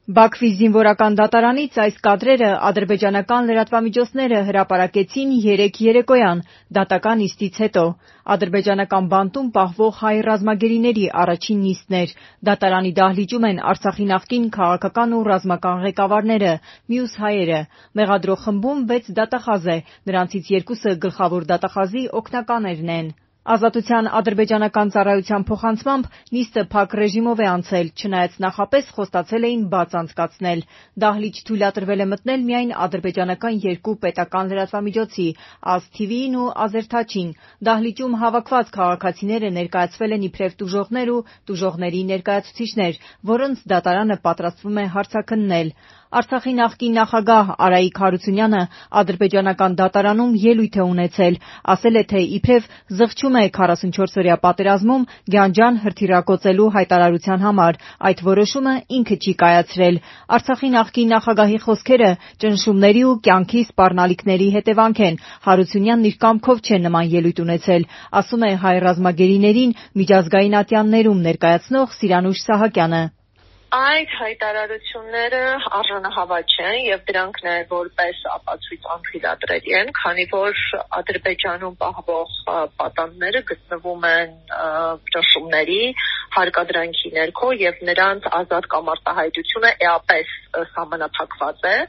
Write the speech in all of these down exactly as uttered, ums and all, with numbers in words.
Բաքվի զինվորական դատարանից այս կադրերը ադրբեջանական լրատվամիջոցները հրապարակեցին երեկ երեկոյան դատական նիստից հետո։ Ադրբեջանական բանտում պահվող հայ ռազմագերիների առաջին նիստն էր։ Դատարանի դահլիճում են Արցախի նախկին քաղաքական ու ռազմական ղեկավարները, մյուս հայերը։ Մեղադրող խմբում վեց դատախազ է, նրանցից երկուսը գլխավոր դատախազի օգնականներն են։ Ազատության ադրբեջանական ծառայության փոխանցմամբ նիստը փակ ռեժիմով է անցել, չնայած նախապես խոստացել էին բաց անցկացնել։ Դահլիճ թույլատրվել է մտնել միայն ադրբեջանական երկու պետական լրատվամիջոցի՝ Ազտիվիին ու Ազերթաչին։ Դահլիճում հավաքված քաղաքացիները ներկայացվել են իբրև տուժողներ ու տուժողների ներկայացուցիչներ, որոնց դատարանը պատրաստվում է հարցաքննել։ Արցախի նախկին նախագահ Արայիկ Հարությունյանը ադրբեջանական դատարանում ելույթ է ունեցել, ասել է, թե իբրև զղջում է քառասունչորսօրյա պատերազմում Գյանջան հրթիռակոծելու հայտարարության համար, այդ որոշումը ինքը չի կայացրել։ Արցախի նախկին նախագահի խոսքերը ճնշումների ու կյանքի սպառնալիքների հետևանք են։ Հարությունյանն իր կամքով չէ նման ելույթ ունեցել, ասում է հայ ռազմագերիներին միջազգային ատյաններում ներկայացնող Սիրանուշ Սահակյանը։ Այդ հայտարարությունները արժանահավատ չեն եւ դրանք նաեւ որպես ապացույց անթույլատրելի են, քանի որ Ադրբեջանում պահվող պատանդները գտնվում են ճնշումների, հարկադրանքի ներքո եւ նրանց ազատ կամ արտահայտությունը էապես սահմանափակված է։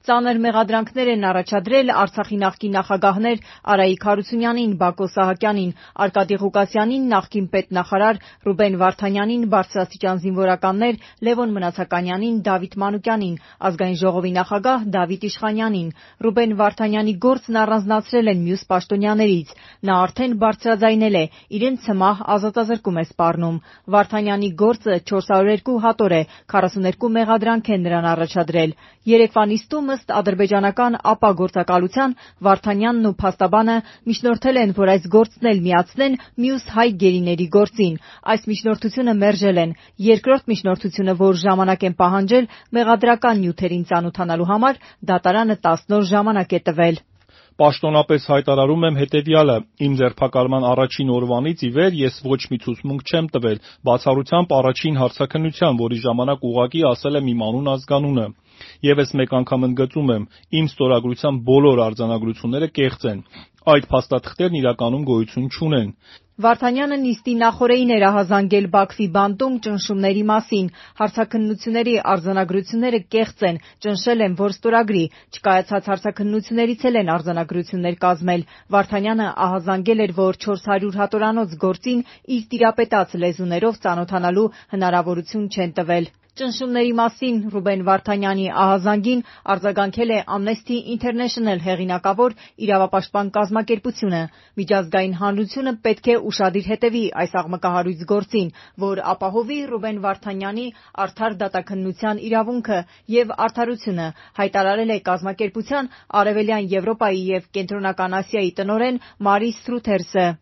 Ծանր մեղադրանքներ են առաջադրել Արցախի նախկին նախագահներ Արայիկ Հարությունյանին, Բակո Սահակյանին, Արկադի Ղուկասյանին, նախկին պետնախարար Ռուբեն Վարդանյանին, բարձրաստիճան զինվորականներ Լևոն Մնացականյանին, Դավիթ Մանուկյանին, Ազգային ժողովի նախագահ Դավիթ Իշխանյանին։ Ռուբեն Վարդանյանի գործն առանձնացրել են մյուս պաշտոնյաներից։ Նա արդեն բարձրաձայնել է, իրեն ցմահ ազատազրկում է սպառնում։ Վարդանյանի գործը չորս հարյուր երկու հատոր է, քառասուներկու մեղադրանք են նրան առաջադրել։ Երեկվա նիստում ըստ ադրբեջանական ԱՊԱ գործակալության Վարդանյանն ու փաստաբանը միջնորդել են, որ այս գործն էլ միացնեն մյուս հայ գերիների գործին։ Այս միջնորդությունը մերժել են։ Երկրորդ միջնորդությունը, որ ժամանակ են պահանջել մեղադրական նյութերին ծանոթանալու համար, դատարանը տասն օր ժամանակ է տվել։ Պաշտոնապես հայտարարում եմ հետևյալը. իմ ձերբակալման առաջին օրվանից ի վեր ես ոչ մի ցուցմունք չեմ տվել, բացառությամբ առաջին հարցաքննության, որի ժամանակ ուղղակի ասել եմ իմ անուն ազգանունը։ Եվս մեկ անգամ ընդգծում եմ, իմ ստորագրության բոլոր արձանագրությունները կեղծ են։ Այդ փաստաթղթերն իրականում գոյություն չունեն։ Վարդանյանը նիստի նախօրեին էր ահազանգել Բաքվի բանտում ճնշումների մասին։ Հարցաքննությունների արձանագրությունները կեղծ են, ճնշել են, որ ստորագրի։ Չկայացած հարցաքննություններից էլ են արձանագրություններ կազմել։ Վարդանյանը ահազանգել էր, որ չորս հարյուր հատորանոց գործին իր տիրապետած լեզուներով ծանոթանալու հնարավորություն չեն տվել։ Ճնշումների մասին Ռուբեն Վարդանյանի ահազանգին արձագանքել է Amnesty International հեղինակավոր իրավապաշտպան կազմակերպությունը։ Միջազգային հանրությունը պետք է ուշադիր հետևի այս աղմկահարույց գործին, որ ապահովի Ռուբեն Վարդանյանի արդար դատաքննության իրավունքը եւ արդարությունը, հայտարարել է կազմակերպության Արևելյան Եվրոպայի եւ Կենտրոնական Ասիայի տնօրեն Մարի Սրութերսը։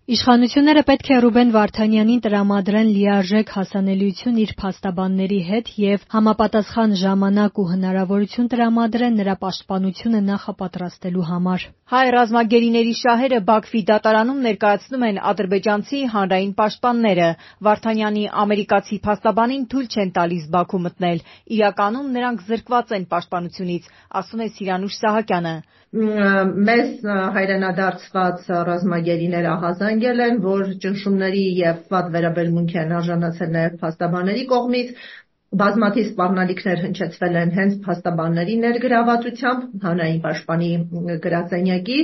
Իշխանությունները պետք է Ռուբեն Վարդանյանին տրամադրեն լիարժեք հասանելիություն իր փաստաբանների հետ եւ համապատասխան ժամանակ ու հնարավորություն տրամադրեն նրա պաշտպանությունը նախապատրաստելու համար։ Հայ ռազմագերիների շահերը Բաքվի դատարանում ներկայացնում են ադրբեջանցի հանրային պաշտպանները։ Վարդանյանի ամերիկացի փաստաբանին թույլ չեն տալիս Բաքու մտնել։ Իրականում նրանք զրկված են պաշտպանությունից, ասում է Սիրանուշ Սահակյանը։ Մեզ հայրենադարձված ռազմագերիներ ահազանգել են, որ ճնշումների եւ վատ վերաբերմունքի են արժանացել նաեւ փաստաբանների կողմից։ Բազմաթիվ սպառնալիքներ հնչեցվել են հենց փաստաբանների ներգրավվածությամբ հանրային պաշտպանի գրասենյակի։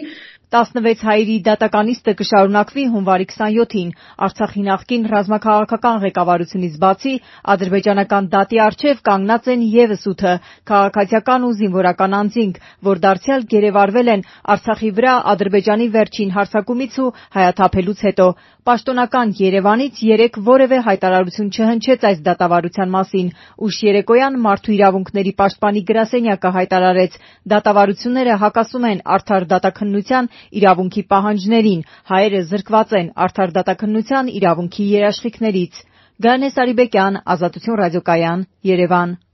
տասնվեց հայերի դատական նիստը կշարունակվի հունվարի քսանյոթին։ Արցախի նախկին ռազմաքաղաքական ղեկավարությունից բացի ադրբեջանական դատի առջև կանգնած են ևս ութը քաղաքացիական ու զինվորական անձինք, որ դարձյալ գերեվարվել են Արցախի վրա Ադրբեջանի վերջին հարձակումից ու հայաթափելուց հետո։ Պաշտոնական Երևանից երեկ որևէ հայտարարություն չհնչեց այս դատավարության մասին։ Ուշ երեկոյան Մարդու իրավունքների պաշտպանի գրասենյակը հայտարարեց. դատավարությունները հակասում են արդար դատաքննության իրավունքի պահանջներին, հայերը զրկված են արդար դատաքննության իրավունքի երաշխիքներից։ Գայանե Սարիբեկյան, Ազատություն ռադիոկայան, Երևան։